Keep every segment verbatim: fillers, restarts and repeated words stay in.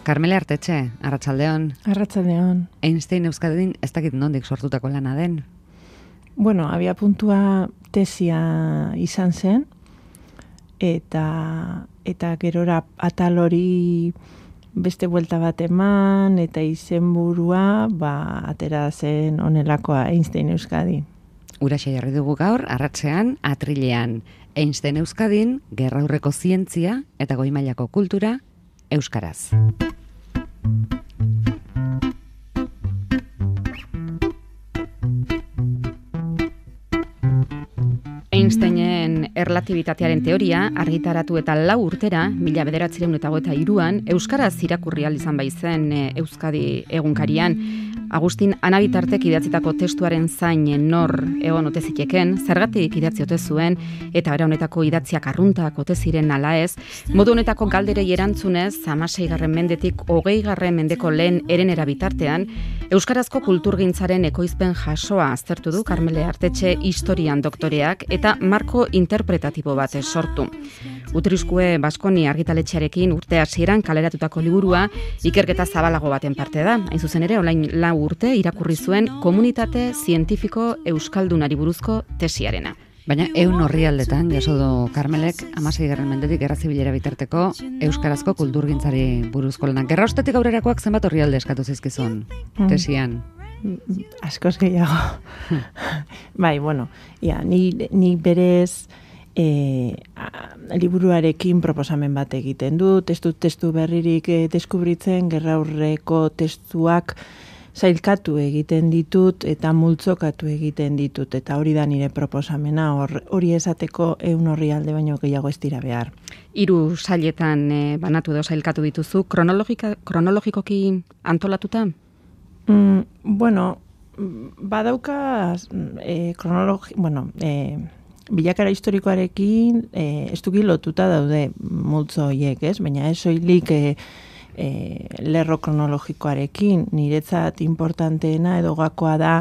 Karmele Artetxe, arratsaldeon. Arratsaldeon. Einstein Euskadin ez dakit nondik sortutako lana den. Bueno, abia puntua tesia izan zen, eta, eta gerora atal hori beste buelta bat eman, eta izenburua ba, atera zen honelakoa Einstein Euskadin. Uraxe jarri dugu gaur, arratsean, atrilean. Einstein Euskadin, gerraurreko zientzia eta goi mailako kultura euskaraz. Einsteinen erlatibitatearen teoria argitaratu eta lau urtera, mila bederatziehun eta hogeita hiruan, euskaraz irakurri ahal izan baizen Euskadi egunkarian. Agustin Anabitartek idatzitako testuaren zain nor egon ote ziteken, zergatik idatzi ote zuen, eta era honetako idatziak arruntak ote ziren ala ez, modu honetako galderei erantzunez, hamaseigarren mendetik hogeigarren mendeko lehen erenera bitartean, euskarazko kulturgintzaren ekoizpen jasoa aztertu du Karmele Artetxe historian doktoreak eta marko interpretatibo bat sortu. Utriskue Baskoni argitaletxearekin urte hasieran kaleratutako liburua ikerketa zabalago baten parte da. Hain zuzen ere, olain lau urte irakurri zuen komunitate zientifiko euskaldunari buruzko tesiarena. Baina ehun orrialdetan jaso du Karmelek hamaseigarren mendetik gerra zibilera bitarteko euskarazko kulturgintzari buruzko lanak. Gerra ostetik aurrerakoak zenbat orrialde eskatu zizkizun tesian? Askoz gehiago. Bai, bueno, ja, ni, ni berez e, a, liburuarekin proposamen bat egiten du, testu testu berririk e, deskubritzen, gerraurreko testuak zailkatu egiten ditut eta multzokatu egiten ditut, eta hori da nire proposamena, hori esateko ehun orrialde baino gehiago ez dira behar. Hiru sailetan e, banatu edo zailkatu dituzu, kronologikoki antolatuta? Mm, bueno, badauka eh, kronologi, bueno, eh, bilakara historikoarekin eh, estuki lotuta daude multzo horiek, ez? Baina ez soilik eh, eh, lerro kronologikoarekin, niretzat importanteena edo gakoa da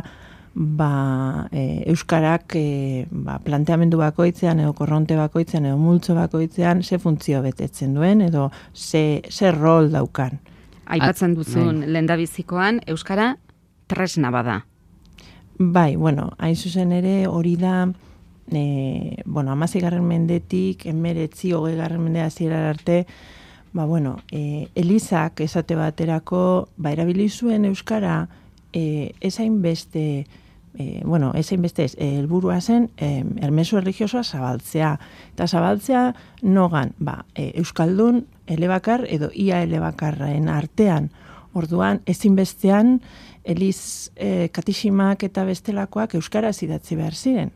ba, eh, euskarak eh, ba, planteamendu bakoitzean edo korronte bakoitzean edo multzo bakoitzean ze funtzio betetzen duen edo ze, ze rol daukan. Aipatzen duzun lehendabizikoan euskara tresna bada. Bai, bueno, hain zuzen ere hori da e, bueno, hamaseigarren mendetik hemeretzi hogeigarren mende hasierar arte, ba bueno, e, Elizak esate baterako ba erabili zuen euskara e, ezain beste E, bueno, ezein beste ez, helburua zen e, ermezu erligiosoa zabaltzea. Eta zabaltzea nogan, ba, e, euskaldun elebakar edo ia elebakarraen artean. Orduan, ezinbestean, Eliz e, katiximak eta bestelakoak euskaraz idatzi behar ziren.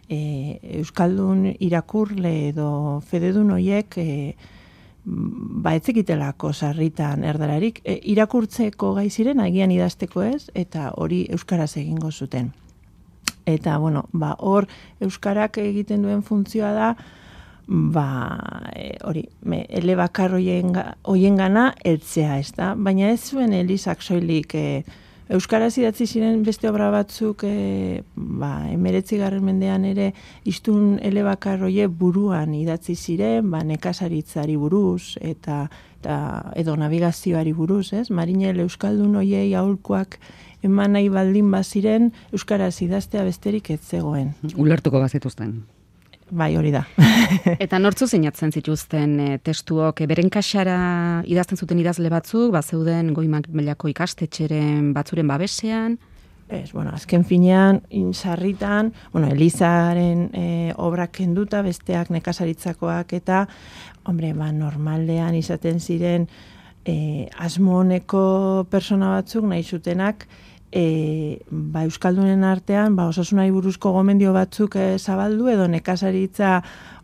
E, euskaldun irakurle edo fededun hoiek e, ba etzekitelako sarritan erdararik, e, irakurtzeko gai ziren, agian idazteko ez, eta hori euskaraz egingo zuten. Eta, bueno, ba, hor euskarak egiten duen funtzioa da, ba, e, hori, me, elebakar hoien gana eltzea, ez da? Baina ez zuen Elizak soilik e, euskaraz idatzi ziren beste obra batzuk e, ba, emeretzigarren mendean ere iztun elebakar hoie buruan idatzi ziren, ba, nekazaritzari buruz eta, eta edo navigazioari buruz, ez? Marinel euskaldun hoiei aholkuak eman nahi baldin baziren euskaraz idaztea besterik ez zegoen. Ulertuko bazituzten. Bai, hori da. Eta nortzu zeinatzen zituzten e, testuok, e, beren kaxara idazten zuten idazle batzuk, ba zeuden goi mailako ikastetxeren batzuren babesean? Ez, bueno, azken finean, sarritan, bueno, Elizaren e, obrak kenduta, besteak nekazaritzakoak eta, hombre, ba, normalean izaten ziren e, asmo honeko persona batzuk nahi zutenak, E, ba, euskaldunen artean ba, osasunari buruzko gomendio batzuk e, zabaldu edo nekazaritza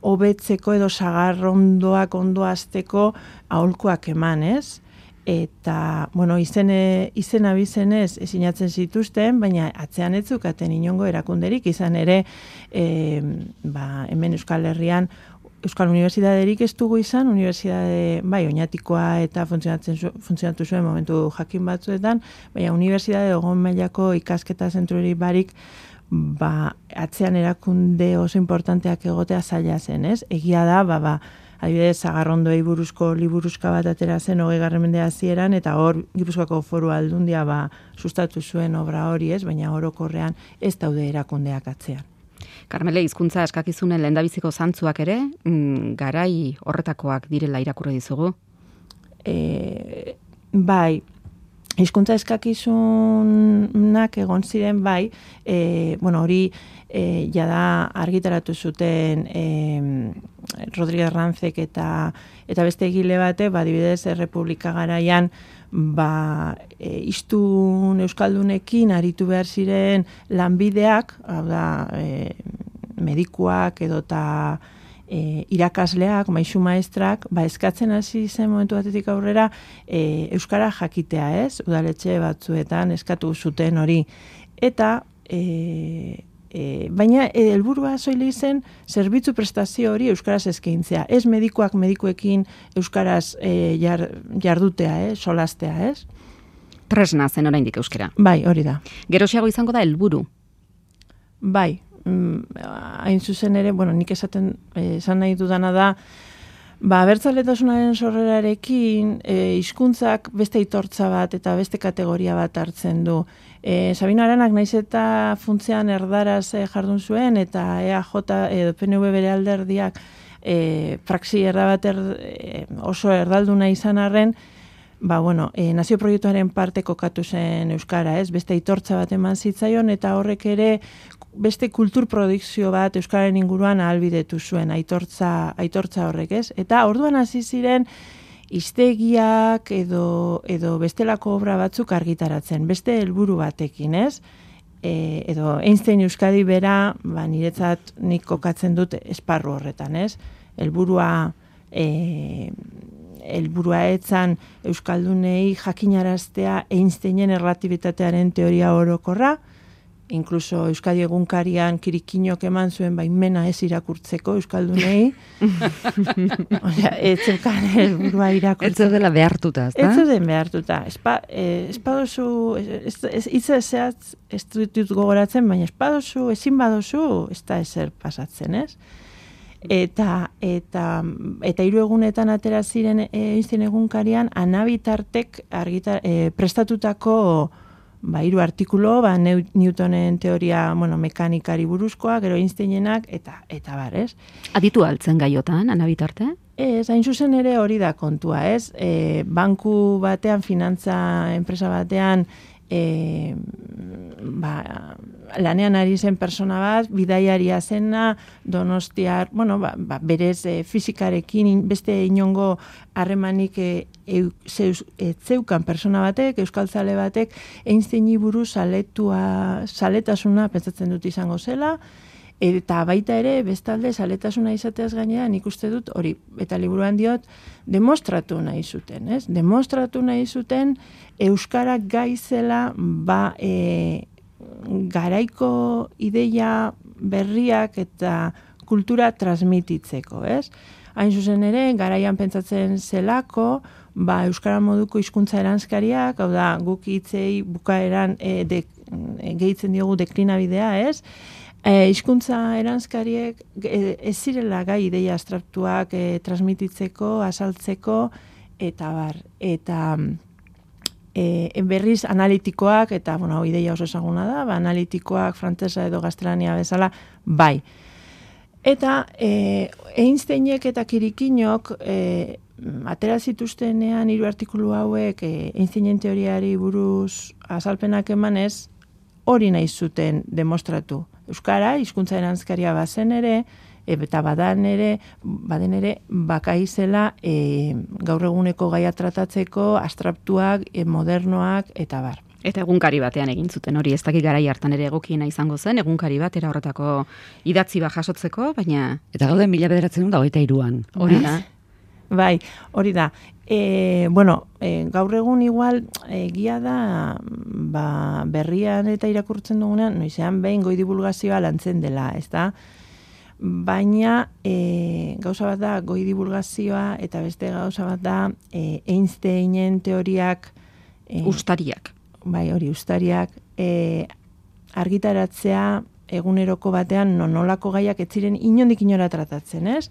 hobetzeko edo sagarrondoak ondo hasteko aholkuak eman, ez? Eta, bueno, izene, izena bizenez ezinatzen zituzten, baina atzean ez zukaten inongo erakunderik, izan ere e, ba, hemen Euskal Herrian Euskal Unibertsitaterik ez dugu izan, unibertsitate, bai, oinatikoa eta funtzionatzen zu, funtzionatu zuen momentu jakin batzuetan, baina unibertsitate egon mailako ikasketa zentruri barik, ba, atzean erakunde oso importanteak egotea zaila zen, ez? Egia da, ba, ba, adibidez, Sagarrondoei buruzko liburuska bat atera zen hogeigarren mende hasieran, eta hor Gipuzkoako Foru Aldundia ba, sustatu zuen obra hori, ez, baina orokorrean ez daude erakundeak atzean. Karmele, hizkuntza eskakizunen lehendabiziko zantzuak ere, mm, garai horretakoak direla irakurri dizugu? E, bai, hizkuntza eskakizunak egon ziren bai, e, bueno, hori e, jada argitaratu zuten e, Rodríguez Ranzek eta eta beste egile bate, ba, adibidez, Errepublika garaian, ba, e, iztun euskaldunekin aritu behar ziren lanbideak, hau da, e, medikuak edota e, irakasleak, maisu maestrak, ba, eskatzen hasi zen momentu batetik aurrera e, euskara jakitea, ez? Udaletxe batzuetan eskatu zuten hori. Eta e, E, baina helburua soilik zen zerbitzu prestazio hori euskaraz eskaintzea. Ez medikuak medikuekin euskaraz e, jar, jardutea, eh, solastea, ez? Tresna zen oraindik euskara. Bai, hori da. Geroxiago izango da helburu. Bai, mm, hain zuzen ere, bueno, nik esaten esan nahi dudana da, ba, abertzaletasunaren sorrerarekin e, hizkuntzak beste aitortza bat eta beste kategoria bat hartzen du. E, Sabino Aranak naiz eta funtzean erdaraz e, jardun zuen eta E A J edo P N V bere alderdiak e, praxi erda bat er, e, oso erdalduna izan arren, ba, bueno, e, nazio proiektuaren parte kokatu zen euskara, ez? Beste aitortza bat eman zitzaion eta horrek ere beste kulturprodukzio bat euskararen inguruan ahalbidetu zuen aitortza, aitortza horrek, ez? Eta orduan hasi ziren hiztegiak edo, edo bestelako obra batzuk argitaratzen, beste helburu batekin, ez? E, edo Einstein Euskadi bera, ba, niretzat nik kokatzen dut esparru horretan, ez? Helburua e, helburua etzan euskaldunei jakinaraztea Einsteinen erlatibitatearen teoria orokorra, inkluso Euskadi egunkarian kirikinok eman zuen baimena ez irakurtzeko euskaldunei. Osea, ez zeukan helburua irakurtzeko. Ez dela behartuta, ezta? Ez den behartuta. Espa, eh, espadozu, hitza zehatz ez dut gogoratzen, baina espadozu, ezin badozu, ez da ezer pasatzen, ez? Eta eta eta hiru egunetan atera ziren Einstein egunkarian Anabitartek argita e, prestatutako ba hiru artikulu, ba Newtonen teoria, bueno, mekanikari buruzkoa, gero Einsteinenak eta eta bar, ez? Aditu altzen gaiotan Anabitarte? Ez, hain zuzen ere hori da kontua, ez? E, banku batean, finantza enpresa batean E, ba, lanean ari zen persona bat, bidaiaria zena, Donostiar, bueno, ba, ba, berez e, fizikarekin beste inongo harremanik e, e, zeus, e, zeukan persona batek, euskaltzale batek, Einsteini buruz saletua, saletasuna pentsatzen dut izango zela, eta baita ere, bestalde, saletasuna izateaz gainean, nik uste dut, hori, eta liburuan diot, demostratu nahi zuten, ez? Demostratu nahi zuten, euskara gaizela, ba, e, garaiko ideia berriak eta kultura transmititzeko, ez? Hain zuzen ere, garaian pentsatzen zelako, ba, euskara moduko hizkuntza eranskariak, hau da, guk hitzei bukaeran e, de, e, gehitzen diogu deklinabidea, ez? E, hizkuntza eranskariek e, ez zirela gai ideia abstraktuak e, transmititzeko, azaltzeko, eta bar, eta e, berriz analitikoak, eta, bueno, ideia oso ezaguna da, ba, analitikoak, frantsesa edo gaztelania bezala, bai. Eta e, Einsteinek eta Kirikinok e, atera zituztenean hiru artikulu hauek e, Einsteinen teoriari buruz azalpenak emanez, hori nahi zuten demostratu. Euskara, hizkuntza eranskaria bazen ere, eta badan ere, baden ere, bakaizela e, gaur eguneko gaia tratatzeko, abstraktuak, e, modernoak, eta bar. Eta egunkari batean egin zuten hori, ez dakik garai hartan ere egokiena izango zen, egunkari bat, era horretako idatzi bat jasotzeko, baina... Eta gauden mila bederatzen da hogeita hiruan. Hori da. Bai, hori da. E, bueno, e, gaur egun igual egia da ba, berrian eta irakurtzen dugunean, noizean behin goi divulgazioa lantzen dela, ez da? Baina e, gauza bat da goi divulgazioa eta beste gauza bat da e, Einsteinen teoriak e, ustariak. Bai, hori ustariak e, argitaratzea eguneroko batean nonolako gaiak ez ziren inondik inora tratatzen, ez?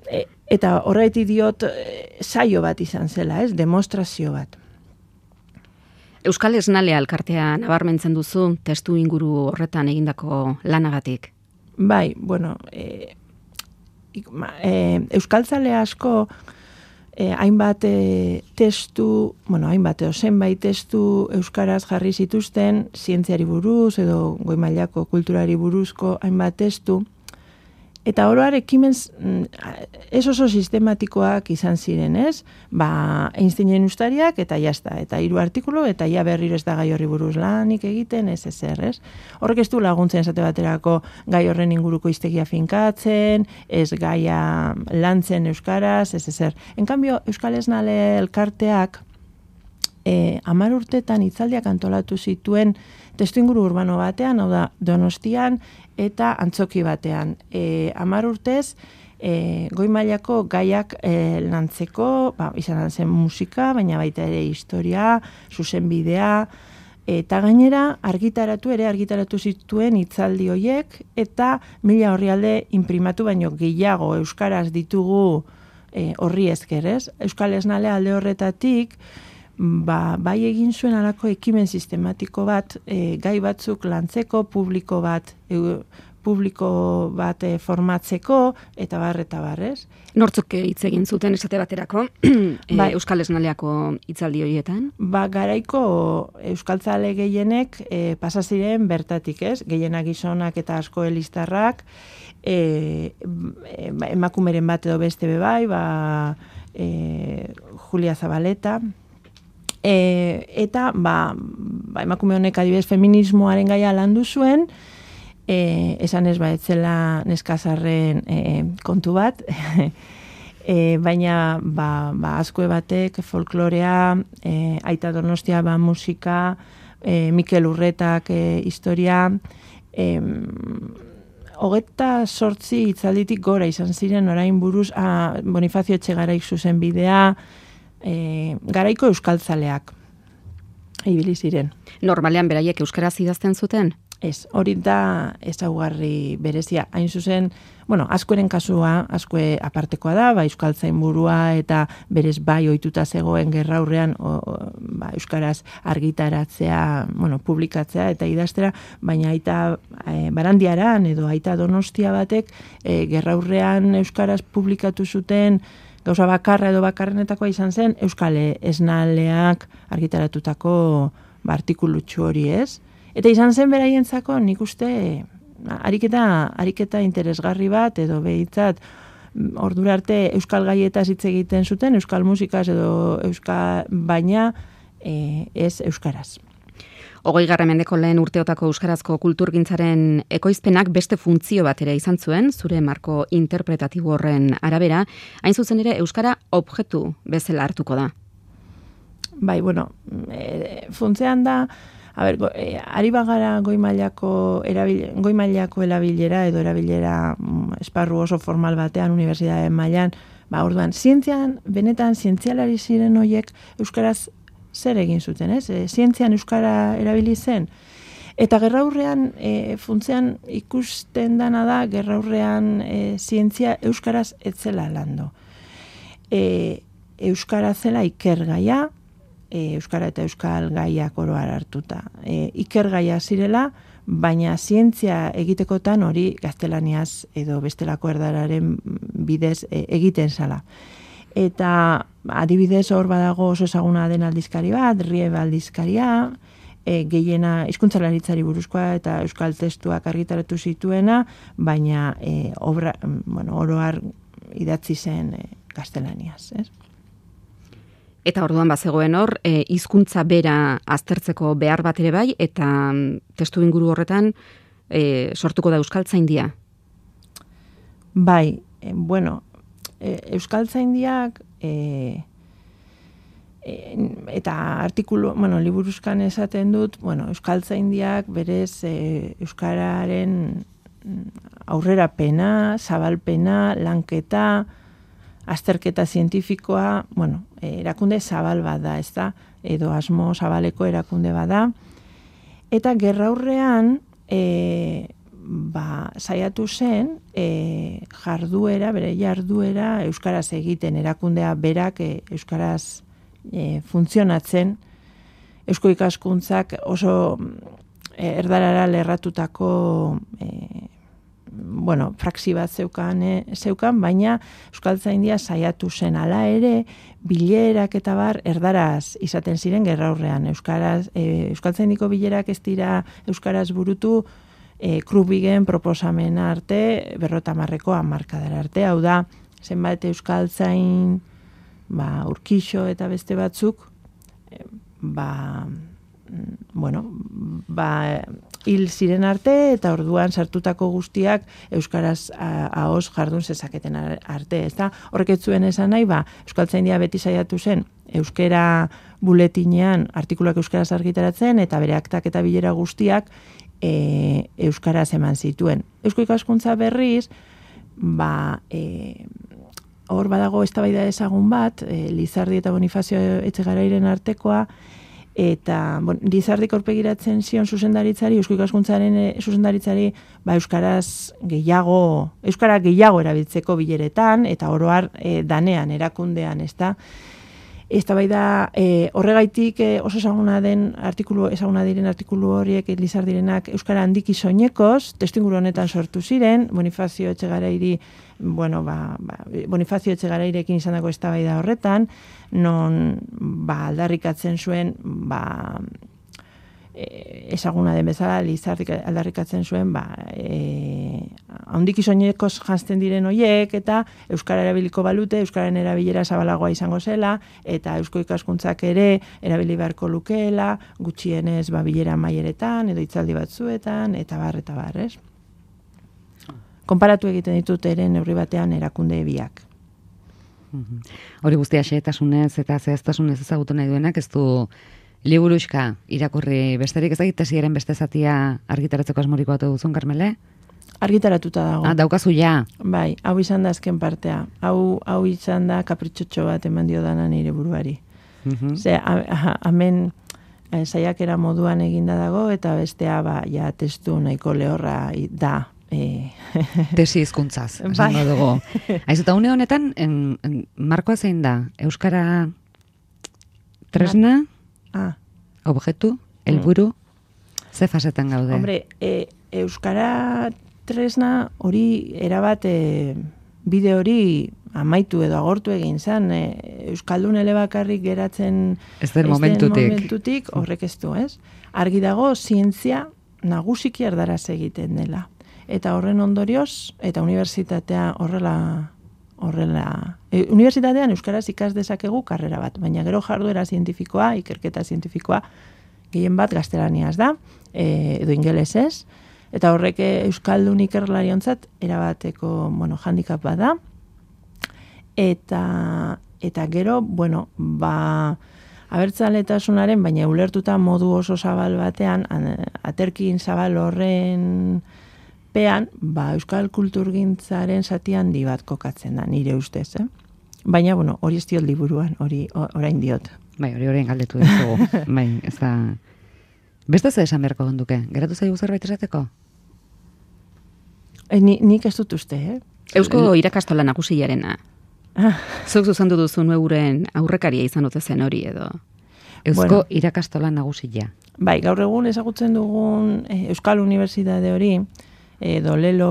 e, eta horretik diot e, saio bat izan zela, ez? Demostrazio bat. Euskal Esnalea elkartea nabarmentzen duzu testu inguru horretan egindako lanagatik. Bai, bueno, e, e, euskaltzale asko e, hainbat e, testu, bueno, hainbat edo zenbait testu euskaraz jarri zituzten, zientziari buruz edo goi mailako kulturari buruzko hainbat testu, eta oroar ekimen ez oso sistematikoak izan ziren, ez? Ba, Einsteinen ustariak eta jazta, eta hiru artikulu, eta ja berriro ez da gai horri buruz lanik egiten, ez ezer, ez? Horrek ez du laguntzen esate baterako gai horren inguruko hiztegia finkatzen, ez gaia lantzen euskaraz, ez ezer. En cambio, Euskal Esnale elkarteak eh, hamar urtetan hitzaldiak antolatu zituen testuinguru urbano batean, hau da, Donostian, eta antzoki batean. E, hamar urtez, e, goi mailako gaiak e, lantzeko, ba, izan zen musika, baina baita ere historia, zuzenbidea, eta gainera argitaratu ere argitaratu zituen hitzaldi hoiek, eta mila orrialde inprimatu baino gehiago euskaraz ditugu e, horri esker, ez? Euskal Esnale alde horretatik, Ba, bai egin zuen alako ekimen sistematiko bat, e, gai batzuk lantzeko, publiko bat, e, publiko bat e, formatzeko, eta bar, eta barrez. Nortzuk hitz egin zuten esate baterako e, bai, Euskal Esnaleako hitzaldi horietan? Ba, garaiko euskaltzale gehienek e, pasa ziren bertatik, ez? Gehienak gizonak eta asko elistarrak, e, emakumeren bat edo beste bebai, ba, e, Julia Zabaleta, E, eta ba, ba, emakume honek adibidez feminismoaren gaia landu zuen, e, esan ez ba etzela neskazarren e, kontu bat, e, baina ba, ba, azkue batek folklorea, e, Aita Donostia ba, musika, e, Mikel Urretak e, historia, e, hogeta sortzi hitzalditik gora izan ziren orain buruz, a, Bonifazio Etxegaraik zuzen bidea, E, garaiko euskaltzaleak ibili ziren. Normalean beraiek euskaraz idazten zuten? Ez, hori da ezaugarri berezia. Hain zuzen, bueno, askoren kasua, askoe apartekoa da, ba, euskaltzain burua eta berez bai ohituta zegoen gerraurrean o, o, ba, euskaraz argitaratzea, bueno, publikatzea eta idaztera, baina aita e, Barandiaran edo aita Donostia batek e, gerraurrean euskaraz publikatu zuten gauza bakarra edo bakarrenetakoa izan zen Euskal Esnaleak argitaratutako ba, artikulutxu hori, ez? Eta izan zen beraientzako nik uste ariketa, ariketa interesgarri bat edo behitzat ordura arte euskal gaietaz hitz egiten zuten, euskal musikaz edo euskal baina e, ez euskaraz. Hogei garren mendeko lehen urteotako euskarazko kulturgintzaren ekoizpenak beste funtzio bat ere izan zuen, zure marko interpretatibo horren arabera, hain zuzen ere euskara objektu bezala hartuko da. Bai, bueno, e, funtzean da, a ber, go, e, ari bagara goi mailako erabil, goi mailako erabilera edo erabilera mm, esparru oso formal batean, unibertsitateen mailan, ba, orduan, zientzian, benetan zientzialari ziren hoiek euskaraz zer egin zuten, ez? E, zientzian euskara erabili zen. Eta gerraurrean, e, funtzean ikusten dana da, gerraurrean e, zientzia euskaraz etzela lando. E, euskara zela ikergaia, e, euskara eta euskal gaiak oroar hartuta. E, ikergaia zirela, baina zientzia egitekotan hori gaztelaniaz edo bestelako erdararen bidez e, egiten zala. Eta adibidez hor badago oso ezaguna den aldizkari bat, Riebe aldizkaria, e, gehiena hizkuntzalaritzari buruzkoa eta euskal testuak argitaratu zituena, baina e, obra, bueno, oroar idatzi zen e, gaztelaniaz, ez? Eta orduan bazegoen hor, e, hizkuntza bera aztertzeko behar bat ere bai, eta testu inguru horretan e, sortuko da euskaltzaindia? Bai, e, bueno, euskaltzaindiak e, e, eta artikulu, bueno, liburuzkan esaten dut, bueno, euskaltzaindiak berez e, euskararen aurrerapena, zabalpena, lanketa, azterketa zientifikoa, bueno, erakunde zabal bat da, ez da, edo asmo zabaleko erakunde bat da, eta gerraurrean e, ba, saiatu zen e, jarduera, bere jarduera euskaraz egiten, erakundea berak e, euskaraz e, funtzionatzen, eusko ikaskuntzak oso e, erdarara lerratutako e, bueno, praxi bat zeukan, e, zeukan, baina Euskaltzaindia saiatu zen ala ere, bilerak eta bar erdaraz izaten ziren gerraurrean. Euskaraz, e, Euskaltzaindiko bilerak ez dira euskaraz burutu, e, Krubigen proposamena arte, berrotamarreko hamarkadara arte, hau da, zenbait Euskaltzain, ba, Urkixo eta beste batzuk, e, ba, bueno, ba, hil ziren arte eta orduan sartutako guztiak euskaraz ahoz jardun zezaketen arte, ezta? Horrek ez zuen esan nahi, ba, Euskaltzaindia beti saiatu zen euskera buletinean artikuluak euskaraz argitaratzen eta bere aktak eta bilera guztiak e, euskaraz eman zituen. Eusko ikaskuntza berriz, ba, e, hor badago eztabaida ezagun bat, e, Lizardi eta Bonifazio Etxegarairen artekoa, eta bon, Lizardik aurpegiratzen zion zuzendaritzari, Eusko Ikaskuntzaren e, zuzendaritzari, ba, euskaraz gehiago, euskara gehiago erabiltzeko bileretan, eta oroar e, danean, erakundean, ezta? Eztabaida e, horregaitik e, oso ezaguna den artikulu, ezaguna diren artikulu horiek Lizardirenak euskara handiki soinekoz, testuinguru honetan sortu ziren, Bonifazio Etxegarairi, bueno, ba, ba, Bonifazio Etxegarairekin izandako eztabaida horretan, non ba, aldarrikatzen zuen, ba, e, ezaguna den bezala, Lizardik aldarrikatzen zuen, ba, e, handiki soinekoz janzten diren hoiek, eta euskara erabiliko balute, euskararen erabilera zabalagoa izango zela, eta eusko ikaskuntzak ere erabili beharko lukeela, gutxienez ba, bilera maieretan, edo hitzaldi batzuetan, eta bar, eta bar, ez? Konparatu egiten ditut ere neurri batean erakunde biak. Hori guztia xehetasunez eta zehaztasunez ezagutu nahi duenak, ez du liburuxka irakurri besterik, ez da tesiaren beste zatia argitaratzeko asmoriko batu duzun, Karmele? Argitaratuta dago. Ah, daukazu ja. Bai, hau izan da azken partea. Hau, hau izan da kapritxotxo bat eman dio dana nire buruari. Uh-huh. Ze, hemen saiakera moduan eginda dago, eta bestea, ba, ja, testu nahiko lehorra da. E... Tesi hizkuntzaz, esango dugu. Aizu, eta une honetan, en, en, markoa zein da? Euskara tresna, ah. objektu, helburu, mm. ze fasetan gaude? Hombre, e, Euskara tresna hori erabat e, bide hori amaitu edo agortu egin zan. E, Euskaldun elebakarrik geratzen ez den momentutik. momentutik horrek ez du, ez? Argi dago, zientzia nagusiki erdaraz egiten dela. Eta horren ondorioz, eta unibertsitatea horrela, horrela, e, unibertsitatean euskaraz ikas dezakegu karrera bat, baina gero jarduera zientifikoa, ikerketa zientifikoa, gehien bat gaztelaniaz da, e, edo ingelesez, eta horrek euskaldun ikerlariontzat erabateko, bueno, handicap bat da, eta, eta gero, bueno, ba, abertzaletasunaren, baina ulertuta modu oso zabal batean, aterkin zabal horren pean, ba, euskal kulturgintzaren zati handi bat kokatzen da, nire ustez, eh? Baina, bueno, hori ez diot liburuan, hori orain diot. Bai, hori orain galdetu dugu. Bai, ez da... Beste ze esan beharko gonduke? Geratu zaigu zerbait esateko? E, ni, nik ez dut uste, eh? Eusko irakastola nagusiarena. Ah. Zuk zuzendu duzu euren aurrekaria izan dute zen hori edo. Eusko Bueno. irakastola nagusia. Bai, gaur egun ezagutzen dugun eh, Euskal Unibertsitate hori, edo lelo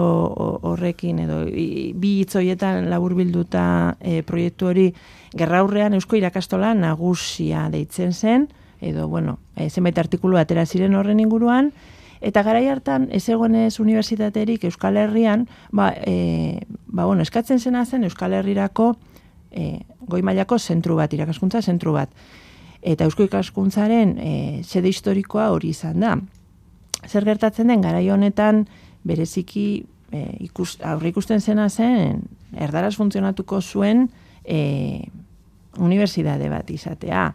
horrekin, edo bi hitzoietan laburbilduta e, proiektu hori gerraurrean Eusko irakastola nagusia deitzen zen, edo, bueno, e, zenbait artikulu atera ziren horren inguruan, eta garai hartan ez egonez unibertsitaterik Euskal Herrian, ba, e, ba, bueno, eskatzen zena zen Euskal Herrirako e, goi mailako zentru bat, irakaskuntza zentru bat. Eta Eusko ikaskuntzaren e, sede historikoa hori izan da. Zer gertatzen den garai honetan bereziki e, ikus, aurre ikusten zena zen erdaraz funtzionatuko zuen e, unibertsitate bat izatea.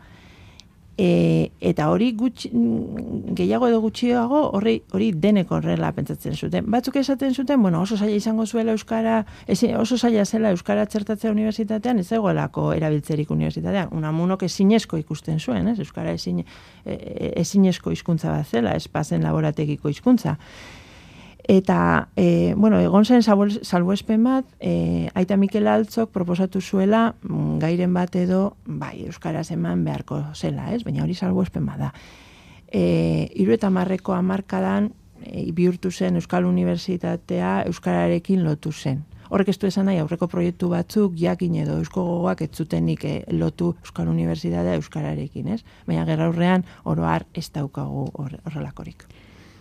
E, eta hori gutxi, gehiago edo gutxiago hori, hori denek horrela pentsatzen zuten. Batzuk esaten zuten, bueno, oso zaila izango zuela euskara, oso zaila zela euskara txertatzea unibertsitatean, ez egoelako erabiltzerik unibertsitatean. Unamunok ezinezko ikusten zuen, ez? Euskara ezin, ezinezko hizkuntza bat zela, ez pasen laborategiko hizkuntza. Eta, e, bueno, egon zen salbuespen bat, e, Aita Mikel Altzok proposatu zuela mm, gairen bat edo, bai, euskaraz eman beharko zela, ez? Baina hori salbuespen bat da. E, Hiru eta marreko hamarkadan e, bihurtu zen Euskal Unibertsitatea euskararekin lotu zen. Horrek ez du esan nahi, aurreko proiektu batzuk jakin edo eusko gogoak ez zutenik e, lotu Euskal Unibertsitatea euskararekin, ez? Baina gerraurrean oroar ez daukagu horrelakorik.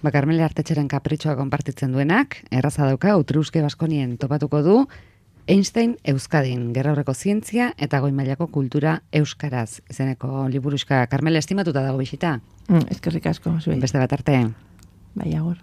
Ba, Karmele Artetxeren kapritxoa konpartitzen duenak, erraza dauka, Utriuske Baskonien topatuko du, Einstein Euskadin, gerraurreko zientzia eta goi mailako kultura euskaraz. Izeneko liburuxka, Karmele, estimatuta dago bisita? Mm, eskerrik asko, zuei. Beste bat arte. Bai, agur.